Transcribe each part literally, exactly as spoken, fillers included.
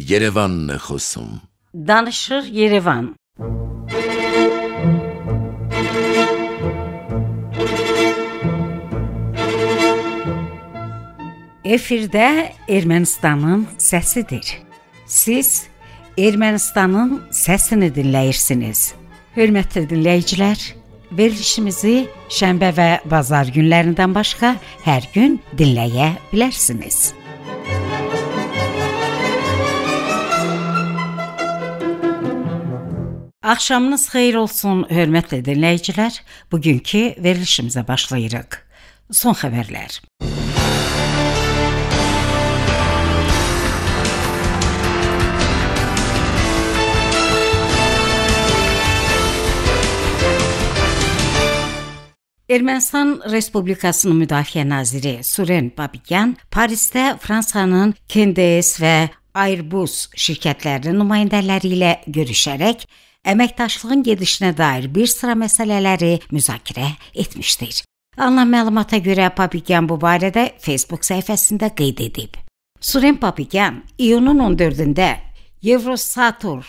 Yerevan Xosum. Danışır Yerevan. Efirdə Ermənistanın səsidir. Siz Ermənistanın səsini dinləyirsiniz. Hörmətli dinləyicilər, verilişimizi şənbə və bazar günlərindən başqa hər gün dinləyə bilərsiniz. Axşamınız xeyir olsun, hörmətli dinləyicilər. Bugünkü verilişimizə başlayırıq. Son xəbərlər. Ermənistan Respublikasının Müdafiə naziri Suren Babikyan Parisdə Fransanın K D S və Airbus şirkətlərinin nümayəndələri ilə görüşərək əməkdaşlığın gedişinə dair bir sıra məsələləri müzakirə etmişdir. Alınan məlumata görə Babikyan bu barədə Facebook səhifəsində qeyd edib. Suren Babikyan iyunun on dördündə Eurosatur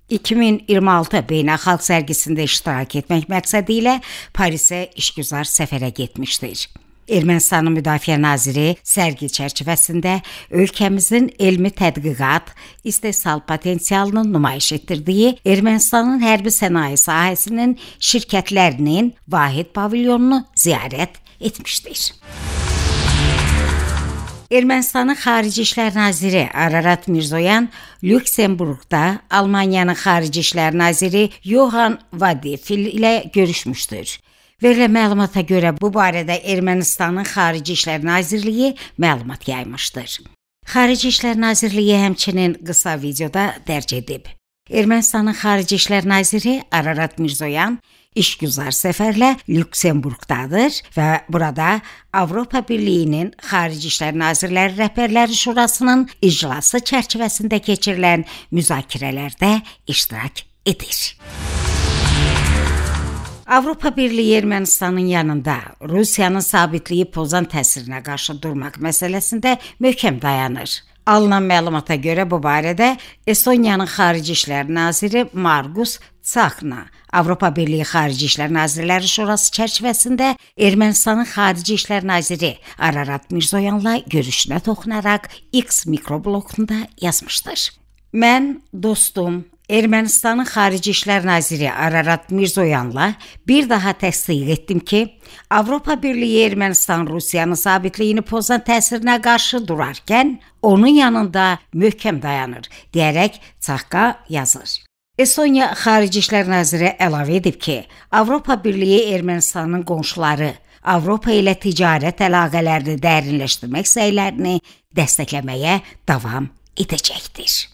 iki min iyirmi altı beynəlxalq sərgisində iştirak etmək məqsədi ilə Parisə işgüzar səfərə getmişdir. Ermənistanın Müdafiə naziri sərgi çərçivəsində ölkəmizin elmi tədqiqat, istehsal potensialını nümayiş etdirdiyi Ermənistanın hərbi sənaye sahəsinin şirkətlərinin vahid pavilyonunu ziyarət etmişdir. Ermənistanın Xarici İşlər naziri Ararat Mirzoyan Lüksemburqda Almaniyanın Xarici İşlər naziri Johan Vadefil ilə görüşmüşdür. Verilən məlumata görə bu barədə Ermənistanın Xarici İşlər Nazirliyi məlumat yaymışdır. Xarici İşlər Nazirliyi həmçinin qısa videoda dərc edib. Ermənistanın Xarici İşlər naziri Ararat Mirzoyan işgüzar səfərlə Lüksemburqdadır və burada Avropa Birliyinin Xarici İşlər Nazirləri Rəhbərləri Şurasının iclası çərçivəsində keçirilən müzakirələrdə iştirak edir. Avropa Birliyi Ermənistanın yanında Rusiyanın sabitliyi pozan təsirinə qarşı durmaq məsələsində möhkəm dayanır. Alınan məlumata görə bu barədə Estoniyanın Xarici İşlər naziri Margus Tsahkna Avropa Birliyi Xarici İşlər Nazirləri Şurası çərçivəsində Ermənistanın Xarici İşlər naziri Ararat Mirzoyanla görüşünə toxunaraq X mikroblogunda yazmışdır. Mən dostum Ermənistanın Xarici İşlər naziri Ararat Mirzoyanla bir daha təsdiq etdim ki, Avropa Birliyi Ermənistan Rusiyanın sabitliyini pozan təsirinə qarşı durarkən onun yanında möhkəm dayanır, deyərək Tsahka yazır. Estoniya Xarici İşlər naziri əlavə edib ki, Avropa Birliyi Ermənistanın qonşuları Avropa ilə ticarət əlaqələrini dərinləşdirmək səylərini dəstəkləməyə davam edəcəkdir.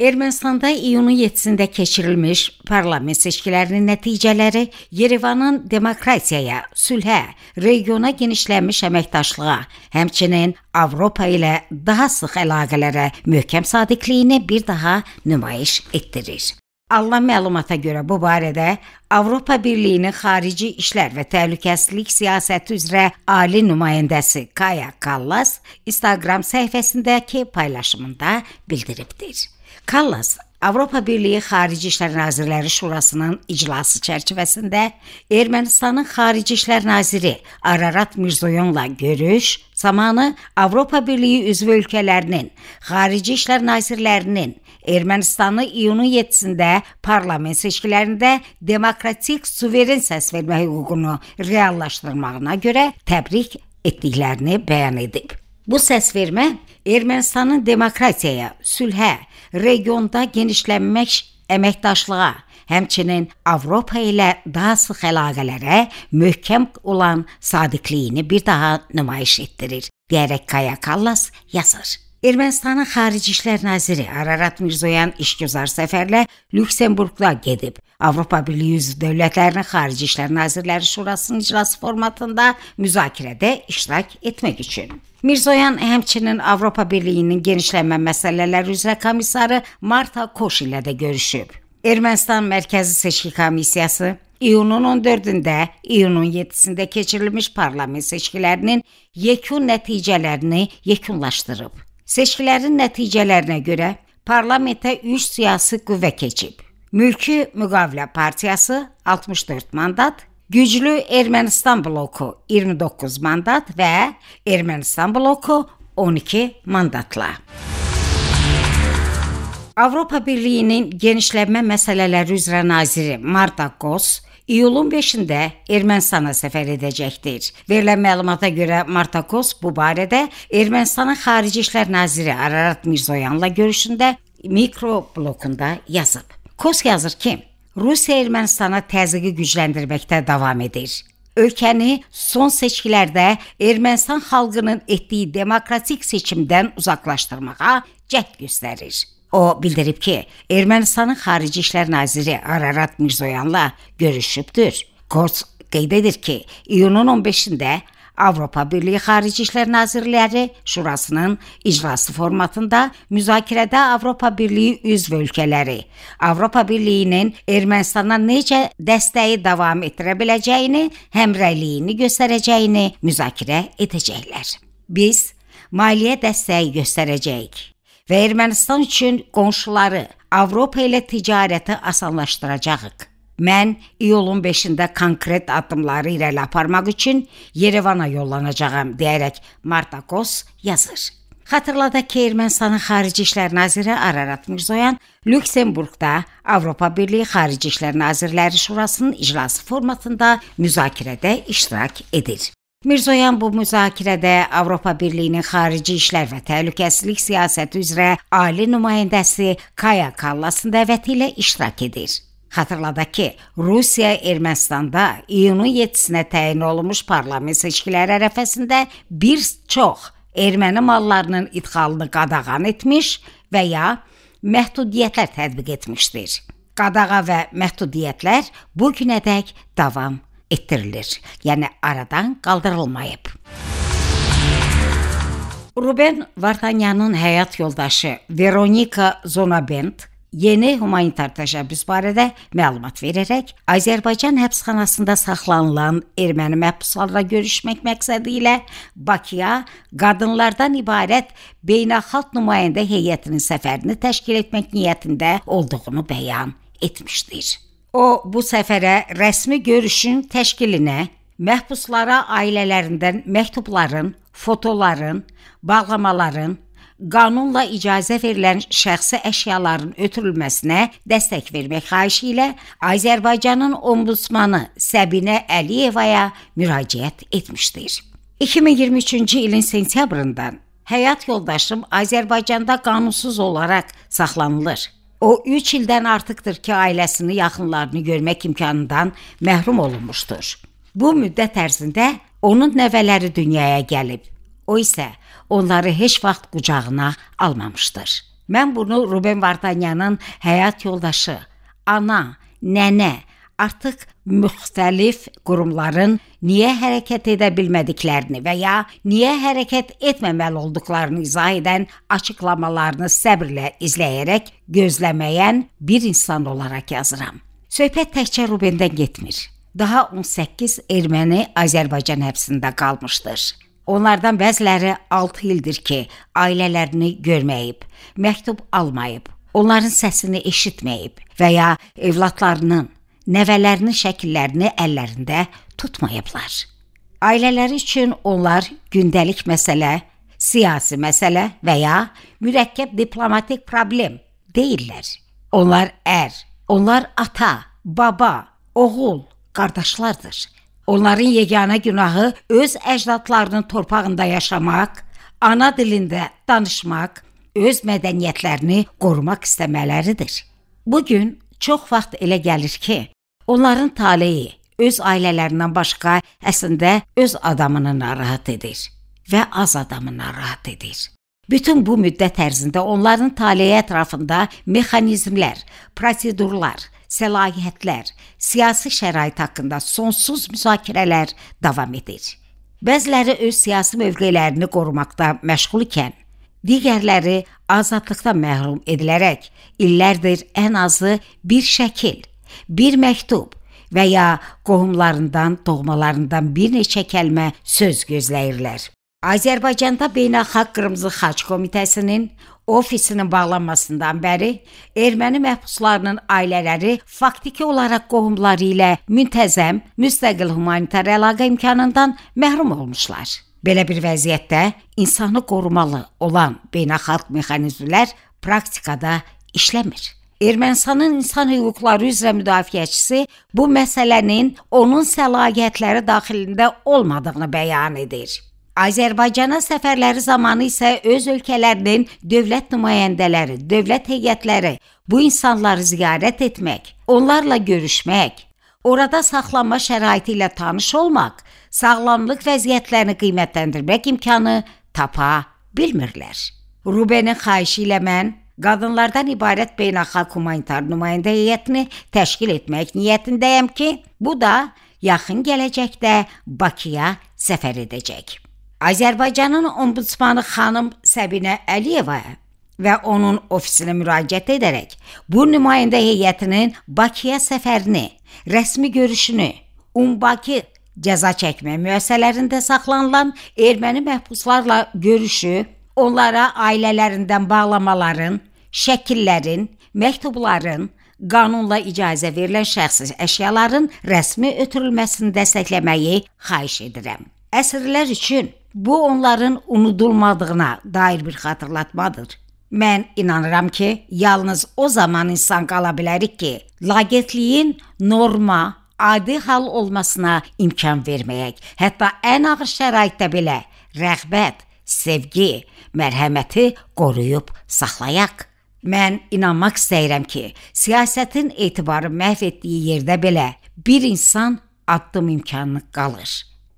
Ermənistanda iyunun yeddisində keçirilmiş parlament seçkilərinin nəticələri Yerevanın demokratiyaya, sülhə, regiona genişlənmiş əməkdaşlığa, həmçinin Avropa ilə daha sıx əlaqələrə möhkəm sadiqliyini bir daha nümayiş etdirir. Alınan məlumata görə bu barədə Avropa Birliyinin Xarici İşlər və Təhlükəsizlik Siyasəti üzrə ali nümayəndəsi Kaja Kallas Instagram səhifəsindəki paylaşımında bildiribdir. Kallas, Avropa Birliyi Xarici İşlər Nazirləri Şurasının iclası çərçivəsində Ermənistanın Xarici İşlər naziri Ararat Mirzoyanla görüş zamanı Avropa Birliyi üzv ölkələrinin Xarici İşlər nazirlərinin Ermənistanı iyunun yeddisində parlament seçkilərində demokratik suveren səs vermə hüququnu reallaşdırmağına görə təbrik etdiklərini bəyan edib. Bu səsvermə Ermənistanın demokratiyaya, sülhə, regionda genişlənmiş əməkdaşlığa, həmçinin Avropa ilə daha sıx əlaqələrə möhkəm olan sadiqliyini bir daha nümayiş etdirir, deyərək Kaja Kallas yazır. Ermənistanın Xarici İşlər naziri Ararat Mirzoyan işgüzar səfərlə Lüksemburqda gedib. Avropa Birliyi üzv dövlətlərinin Xarici İşlər Nazirləri Şurasının iclası formatında müzakirədə iştirak etmək üçün. Mirzoyan həmçinin Avropa Birliyinin genişlənmə məsələləri üzrə komissarı Marta Koş ilə də görüşüb. Ermənistan Mərkəzi Seçki Komissiyası iyunun on dördündə, iyunun yeddisində keçirilmiş parlament seçkilərinin yekun nəticələrini yekunlaşdırıb. Seçkilərin nəticələrinə görə parlamentə üç siyasi qüvvə keçib. Mülki Müqavilə Partiyası altmış dörd mandat, Güclü Ermənistan bloku iyirmi doqquz mandat və Ermənistan bloku on iki mandatla. Avropa Birliyinin genişlənmə məsələləri üzrə naziri Marta Kos iyulun beşində Ermənistana səfər edəcəkdir. Verilən məlumata görə Marta Kos bu barədə Ermənistanın Xarici İşlər naziri Ararat Mirzoyanla görüşündə mikroblokunda yazıb. Kos yazır ki, Rusiya Ermənistana təzyiqi gücləndirməkdə davam edir. Ölkəni son seçkilərdə Ermənistan xalqının etdiyi demokratik seçimdən uzaqlaşdırmağa cəhd göstərir. O bildirib ki, Ermənistanın Xarici İşlər naziri Ararat Mirzoyanla görüşübdür. Kos qeyd edir ki, iyunun on beşində Avropa Birliyi Xarici İşlər Nazirləri Şurasının iclası formatında müzakirədə Avropa Birliyi üzv ölkələri Avropa Birliyinin Ermənistana necə dəstəyi davam etdirə biləcəyini, həmrəyliyini göstərəcəyini müzakirə edəcəklər. Biz maliyyə dəstəyi göstərəcəyik və Ermənistan üçün qonşuları Avropa ilə ticarəti asanlaşdıracağıq. Mən iyulun beşində konkret addımları irəli aparmaq üçün Yerevana yollanacağam, deyərək Marta Kos yazır. Xatırladaq ki, Ermənistanın Xarici İşlər naziri Ararat Mirzoyan Lüksemburqda Avropa Birliyi Xarici İşlər Nazirləri Şurasının iclası formatında müzakirədə iştirak edir. Mirzoyan bu müzakirədə Avropa Birliyinin Xarici İşlər və Təhlükəsizlik Siyasəti üzrə ali nümayəndəsi Kaya Kallasın dəvəti ilə iştirak edir. Xatırladaq ki, Rusiya Ermənistanda iyunun yeddisinə təyin olunmuş parlament seçkiləri ərəfəsində bir çox erməni mallarının idxalını qadağan etmiş və ya məhdudiyyətlər tətbiq etmişdir. Qadağa və məhdudiyyətlər bu günədək davam etdirilir, yəni aradan qaldırılmayıb. Ruben Vardanyanın həyat yoldaşı Veronika Zonabend yeni humanitar təşəbbüs barədə məlumat verərək Azərbaycan həbsxanasında saxlanılan erməni məhbuslarla görüşmək məqsədi ilə Bakıya qadınlardan ibarət beynəlxalq nümayəndə heyətinin səfərini təşkil etmək niyyətində olduğunu bəyan etmişdir. O, bu səfərə rəsmi görüşün təşkilinə, məhbuslara ailələrindən məktubların, fotoların, bağlamaların, qanunla icazə verilən şəxsi əşyaların ötürülməsinə dəstək vermək xahişi ilə Azərbaycanın ombudsmanı Səbinə Əliyevaya müraciət etmişdir. iki min iyirmi üçüncü ilin sentyabrından həyat yoldaşım Azərbaycanda qanunsuz olaraq saxlanılır. O, üç ildən artıqdır ki, ailəsini, yaxınlarını görmək imkanından məhrum olunmuşdur. Bu müddət ərzində onun nəvələri dünyaya gəlib. O isə onları heç vaxt qucağına almamışdır. Mən bunu Ruben Vardanyanın həyat yoldaşı, ana, nənə, artıq müxtəlif qurumların niyə hərəkət edə bilmədiklərini və ya niyə hərəkət etməməli olduqlarını izah edən açıqlamalarını səbrlə izləyərək gözləməyən bir insan olaraq yazıram. Söhbət təkcə Rubendən getmir. Daha on səkkiz erməni Azərbaycan həbsində qalmışdır. Onlardan bəziləri altı ildir ki, ailələrini görməyib, məktub almayıb, onların səsini eşitməyib və ya evlatlarının, nəvələrinin şəkillərini əllərində tutmayıblar. Ailələri üçün onlar gündəlik məsələ, siyasi məsələ və ya mürəkkəb diplomatik problem deyirlər. Onlar ər, onlar ata, baba, oğul, qardaşlardır. Onların yeganə günahı öz əcdadlarının torpağında yaşamaq, ana dilində danışmaq, öz mədəniyyətlərini qorumaq istəmələridir. Bugün çox vaxt elə gəlir ki, onların taleyi öz ailələrindən başqa əslində öz adamını narahat edir və az adamı narahat edir. Bütün bu müddət ərzində onların taleyi ətrafında mexanizmlər, prosedurlar, səlahiyyətlər, siyasi şərait haqqında sonsuz müzakirələr davam edir. Bəziləri öz siyasi mövqelərini qorumaqda məşğul ikən, digərləri azadlıqdan məhrum edilərək illərdir ən azı bir şəkil, bir məktub və ya qohumlarından, doğmalarından bir neçə kəlmə söz gözləyirlər. Azərbaycanda Beynəlxalq Qırmızı Xaç Komitəsinin ofisinin bağlanmasından bəri erməni məhbuslarının ailələri faktiki olaraq qohumları ilə müntəzəm, müstəqil humanitar əlaqə imkanından məhrum olmuşlar. Belə bir vəziyyətdə insanı qorumalı olan beynəlxalq mexanizmlər praktikada işləmir. Ermənistanın insan hüquqları üzrə müdafiəçisi bu məsələnin onun səlahiyyətləri daxilində olmadığını bəyan edir. Azərbaycana səfərləri zamanı isə öz ölkələrinin dövlət nümayəndələri, dövlət heyətləri bu insanları ziyarət etmək, onlarla görüşmək, orada saxlanma şəraiti ilə tanış olmaq, sağlamlıq vəziyyətlərini qiymətləndirmək imkanı tapa bilmirlər. Rubenin xahişi ilə mən qadınlardan ibarət beynəlxalq humanitar nümayəndə heyətini təşkil etmək niyyətindəyəm ki, bu da yaxın gələcəkdə Bakıya səfər edəcək. Azərbaycanın ombudsmanı xanım Səbinə Əliyevaya və onun ofisinə müraciət edərək bu nümayəndə heyətinin Bakıya səfərini, rəsmi görüşünü, Umbakı cəza çəkmə müəssisələrində saxlanılan erməni məhbuslarla görüşü, onlara ailələrindən bağlamaların, şəkillərin, məktubların, qanunla icazə verilən şəxsi əşyaların rəsmi ötürülməsini dəstəkləməyi xahiş edirəm. Əsrlər üçün bu onların unudulmadığına dair bir xatırlatmadır. Mən inanıram ki, yalnız o zaman insan qala bilərik ki, laqeydliyin norma, adi hal olmasına imkan verməyək, hətta ən ağır şəraitdə belə rəğbət, sevgi, mərhəməti qoruyub saxlayaq. Mən inanmaq istəyirəm ki, siyasətin etibarı məhv etdiyi yerdə belə bir insan addım imkanı qalır.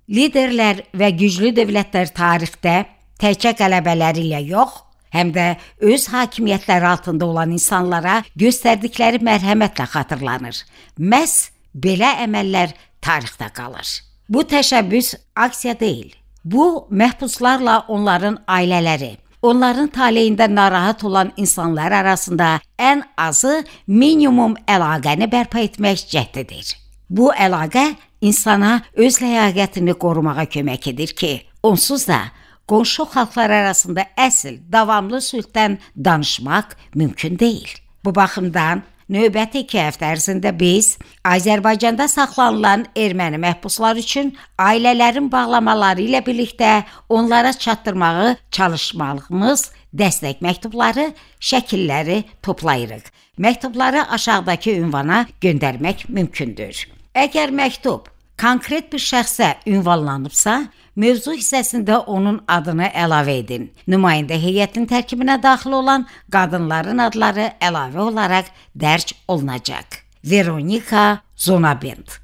Liderlər və güclü dövlətlər tarixdə təkcə qələbələri ilə yox, həm də öz hakimiyyətləri altında olan insanlara göstərdikləri mərhəmətlə xatırlanır. Məhz belə əməllər tarixdə qalır. Bu təşəbbüs aksiya deyil. Bu, məhbuslarla onların ailələri, onların taleyində narahat olan insanlar arasında ən azı minimum əlaqəni bərpa etmək cəhdidir. Bu əlaqə insana öz ləyaqətini qorumağa kömək edir ki, onsuz da qonşu xalqlar arasında əsl, davamlı sülhdən danışmaq mümkün deyil. Bu baxımdan növbəti iki həftə ərzində biz Azərbaycanda saxlanılan erməni məhbuslar üçün ailələrin bağlamaları ilə birlikdə onlara çatdırmağı çalışmalığımız dəstək məktubları, şəkilləri toplayırıq. Məktubları aşağıdakı ünvana göndərmək mümkündür. Əgər məktub konkret bir şəxsə ünvanlanıbsa, mövzu hissəsində onun adını əlavə edin. Nümayəndə heyətinin tərkibinə daxil olan qadınların adları əlavə olaraq dərc olunacaq. Veronika Zonabend.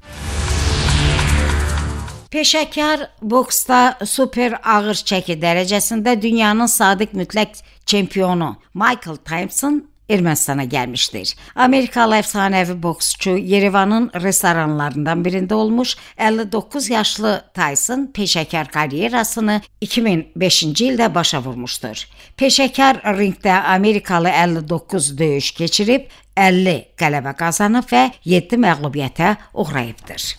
Peşəkar boksda super ağır çəki dərəcəsində dünyanın sadiq mütləq çempionu Michael Tyson Ermənistana gəlmişdir. Amerikalı əfsanəvi boksçu Yerevanın restoranlarından birində olmuş əlli doqquz yaşlı Tyson peşəkar karyerasını iki min beşinci ildə başa vurmuşdur. Peşəkar ringdə Amerikalı əlli doqquz döyüş keçirib, əlli qələbə qazanıb və yeddi məğlubiyyətə uğrayıbdır.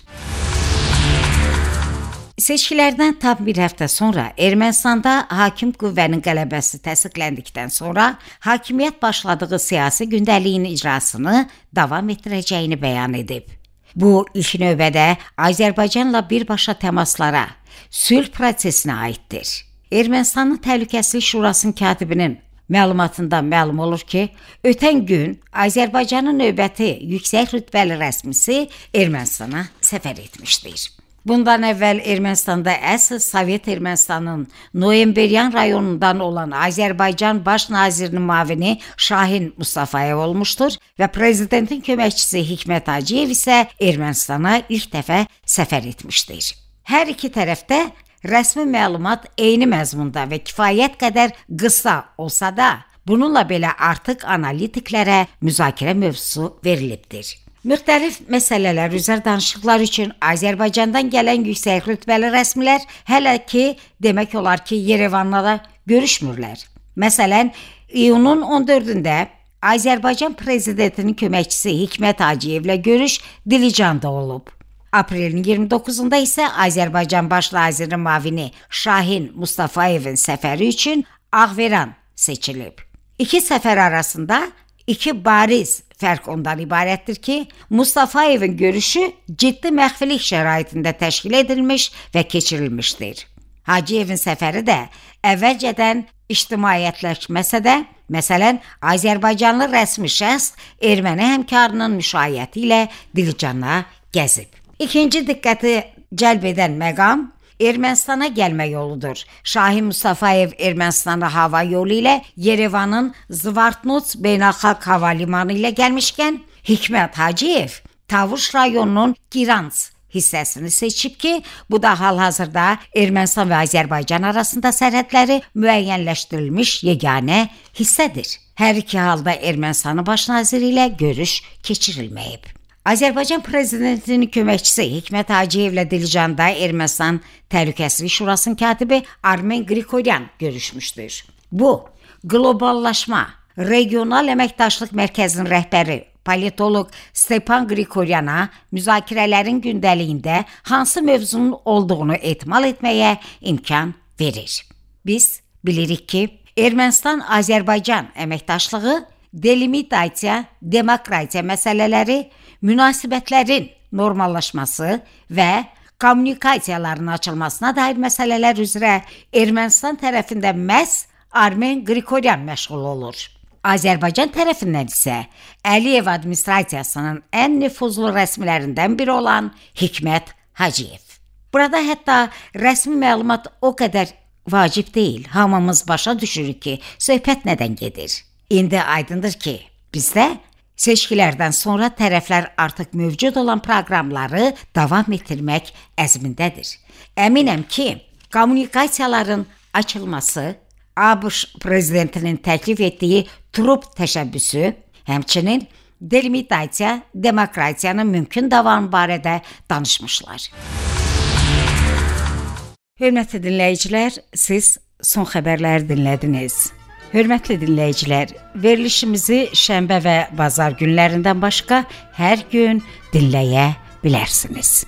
Seçkilərdən tam bir həftə sonra Ermənistanda hakim qüvvənin qələbəsi təsdiqləndikdən sonra hakimiyyət başladığı siyasi gündəliyin icrasını davam etdirəcəyini bəyan edib. Bu, ilk növbədə Azərbaycanla birbaşa təmaslara, sülh prosesinə aiddir. Ermənistanın Təhlükəsizlik Şurasının katibinin məlumatından məlum olur ki, ötən gün Azərbaycanın növbəti yüksək rütbəli rəsmisi Ermənistana səfər etmişdir. Bundan əvvəl Ermənistanda əsl Sovet Ermənistanın Noyemberyan rayonundan olan Azərbaycan Baş Nazirinin müavini Şahin Mustafayev olmuşdur və prezidentin köməkçisi Hikmət Hacıyev isə Ermənistana ilk dəfə səfər etmişdir. Hər iki tərəfdə rəsmi məlumat eyni məzmunda və kifayət qədər qısa olsa da, bununla belə artıq analitiklərə müzakirə mövzusu verilibdir. Müxtəlif məsələlər üzrə danışıqlar üçün Azərbaycandan gələn yüksək rütbəli rəsmilər hələ ki, demək olar ki, Yerevanla da görüşmürlər. Məsələn, iyunun on dördündə Azərbaycan prezidentinin köməkçisi Hikmət Hacıyevlə görüş Dilicanda olub. Aprelin iyirmi doqquzunda isə Azərbaycan Baş naziri müavini Şahin Mustafayevin səfəri üçün Ağveran seçilib. İki səfər arasında iki bariz fərq ondan ibarətdir ki, Mustafayevin görüşü ciddi məxfilik şəraitində təşkil edilmiş və keçirilmişdir. Hacıyevin səfəri də əvvəlcədən ictimaiyyətləşməsə də, məsələn, Azərbaycanlı rəsmi şəxs erməni həmkarının müşayiəti ilə Dilicana gəzib. İkinci diqqəti cəlb edən məqam Ermənistana gəlmə yoludur. Şahin Mustafayev Ermənistana hava yolu ilə Yerevanın Zvartnots beynəlxalq hava limanı ilə gəlmişkən, Hikmət Hacıyev Tavuş rayonunun Girans hissəsini seçib ki, bu da hal-hazırda Ermənistan və Azərbaycan arasında sərhədləri müəyyənləşdirilmiş yeganə hissədir. Hər iki halda Ermənistanın baş naziri ilə görüş keçirilməyib. Azərbaycan prezidentinin köməkçisi Hikmət Hacıyevlə Dilicanda Ermənistan Təhlükəsizlik Şurasının katibi Armen Qriqoryan görüşmüşdür. Bu, qloballaşma, regional əməkdaşlıq mərkəzinin rəhbəri politoloq Stepan Qriqoryana müzakirələrin gündəliyində hansı mövzunun olduğunu ehtimal etməyə imkan verir. Biz bilirik ki, Ermənistan-Azərbaycan əməkdaşlığı delimitasiya, demokratiya məsələləri, münasibətlərin normallaşması və kommunikasiyaların açılmasına dair məsələlər üzrə Ermənistan tərəfində məhz Armen Qriqoryan məşğul olur. Azərbaycan tərəfindən isə Əliyev administrasiyasının ən nüfuzlu rəsmilərindən biri olan Hikmət Hacıyev. Burada hətta rəsmi məlumat o qədər vacib deyil. Hamımız başa düşürük ki, söhbət nədən gedir. İndi aydındır ki, bizdə seçkilərdən sonra tərəflər artıq mövcud olan proqramları davam etdirmək əzmindədir. Əminəm ki, kommunikasiyaların açılması, ABŞ prezidentinin təklif etdiyi Trup təşəbbüsü, həmçinin delimitasiya, demokratiyanın mümkün davamı barədə danışmışlar. Hörmətli dinləyicilər, siz son xəbərləri dinlədiniz. Hörmətli dinləyicilər, verilişimizi şənbə və bazar günlərindən başqa hər gün dinləyə bilərsiniz.